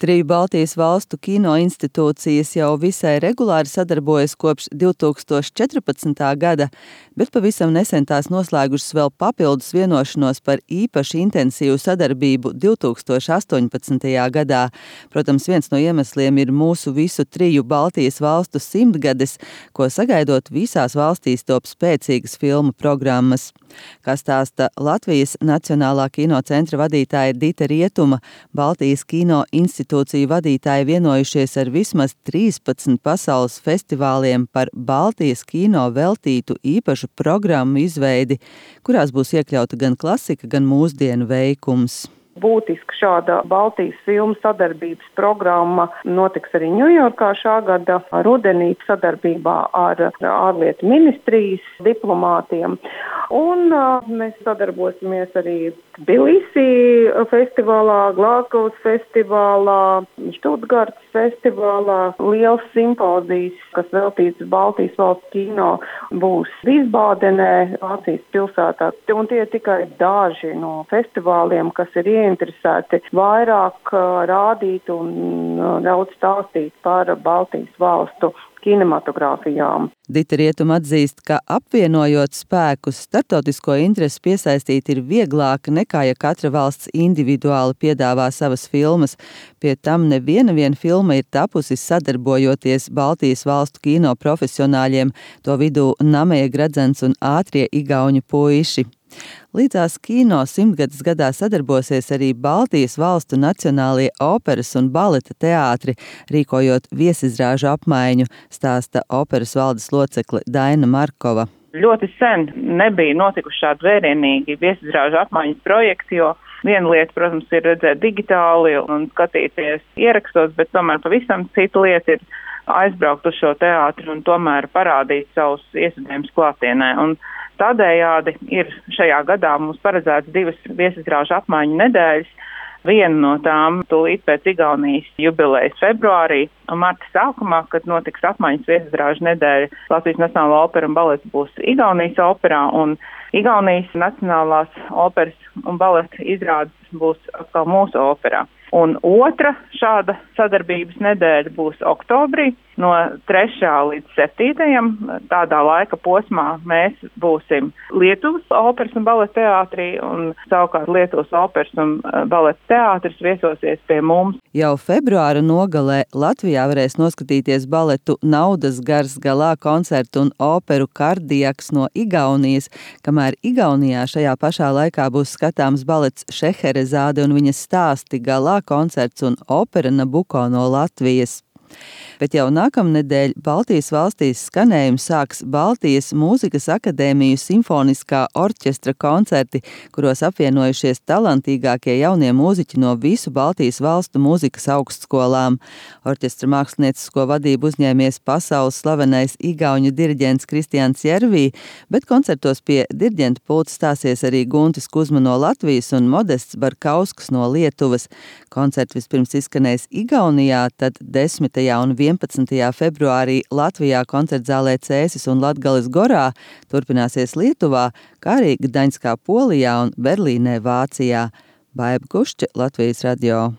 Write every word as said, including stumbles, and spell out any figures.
Triju Baltijas valstu kino institūcijas jau visai regulāri sadarbojas kopš divtūkstoš četrpadsmitā gada, bet pavisam nesen tās noslēgušas vēl papildus vienošanos par īpaši intensīvu sadarbību divtūkstoš astoņpadsmitajā gadā. Protams, viens no iemesliem ir mūsu visu triju Baltijas valstu simtgades, ko sagaidot visās valstīs top spēcīgas filmu programmas. Kā stāsta Latvijas Nacionālā kinocentra vadītāja Dita Rietuma, Baltijas kino institūciju vadītāji vienojušies ar vismaz trīspadsmit pasaules festivāliem par Baltijas kino veltītu īpašu programmu izveidi, kurās būs iekļauta gan klasika, gan mūsdienu veikums. Būtiska šāda Baltijas filmu sadarbības programma notiks arī Ņujorkā šā gada rudenī sadarbībā ar ārlietu ministrijas diplomātiem. Un uh, mēs sadarbosimies arī Tbilisi festivālā, Glāzgovas festivālā, Štutgartas festivālā. Liels simpozijas, kas veltīts Baltijas valsts kino, būs Vīsbādenē, Vācijas pilsētā. Un tie ir tikai daži no festivāliem, kas ir ieinteresēti vairāk rādīt un daudz stāstīt par Baltijas valstu kinematogrāfijām. Dita Rietuma atzīst, ka apvienojot spēkus, starptautisko interesi piesaistīt ir vieglāk nekā, ja katra valsts individuāli piedāvā savas filmas. Pie tam neviena viena filma ir tapusi sadarbojoties Baltijas valstu kino profesionāļiem, to vidū Nameja Gradzens un ātrie igauņu puiši. Līdzās kino simtgades gadā sadarbosies arī Baltijas valstu nacionālie operas un baleta teātri, rīkojot viesizrāžu apmaiņu, stāsta operas valdes locekle Daina Markova. Ļoti sen nebija notikuši šādi vērienīgi viesizrāžu apmaiņas projekti, jo viena lieta, protams, ir redzēt digitāli un skatīties ierakstos, bet tomēr pavisam cita lieta ir aizbraukt uz šo teātri un tomēr parādīt savus iesaistījumus klātienē. Un tādējādi ir šajā gadā mums paredzēts divas viesizrāžu apmaiņu nedēļas. Viena no tām tūlīt pēc Igaunijas jubilejas februārī un marta sākumā, kad notiks apmaiņas viesizrāžu nedēļa. Latvijas Nacionālā opera un balets būs Igaunijas operā un Igaunijas Nacionālās operas un baleta izrādes būs atkal mūsu operā. Un otra šāda sadarbības nedēļa būs oktobrī no trešā līdz septītajam. Tādā laika posmā mēs būsim Lietuvas operas un baleta teātrī un savukārt Lietuvas operas un baleta teātris viesosies pie mums. Jau februāra nogalē Latvijā varēs noskatīties baletu Naudas gars galā koncertu un operu Kardiaks no Igaunijas, kamēr Igaunijā šajā pašā laikā būs skatāms balets Šeherezāde un viņas stāsti galā koncerts un opera Nabuko no Latvijas. Bet jau nākamnedēļ Baltijas valstīs skanējumu sāks Baltijas mūzikas akadēmiju simfoniskā orķestra koncerti, kuros apvienojušies talantīgākie jaunie mūziķi no visu Baltijas valstu mūzikas augstskolām. Orķestra māksliniecisko vadību uzņēmies pasaules slavenais igauņu diriģents Kristians Jervī, bet koncertos pie diriģenta pulta stāsies arī Guntis Kuzma no Latvijas un Modests Barkauskas no Lietuvas. Koncerti vispirms izskanēs Igaunijā, tad desmitajā un vienpadsmitajā februārī Latvijā koncertzālē Cēsis un Latgales Gorā, turpināsies Lietuvā, kā arī Gdaņskā Polijā un Berlīnē Vācijā. Baiba Kušķe, Latvijas radio.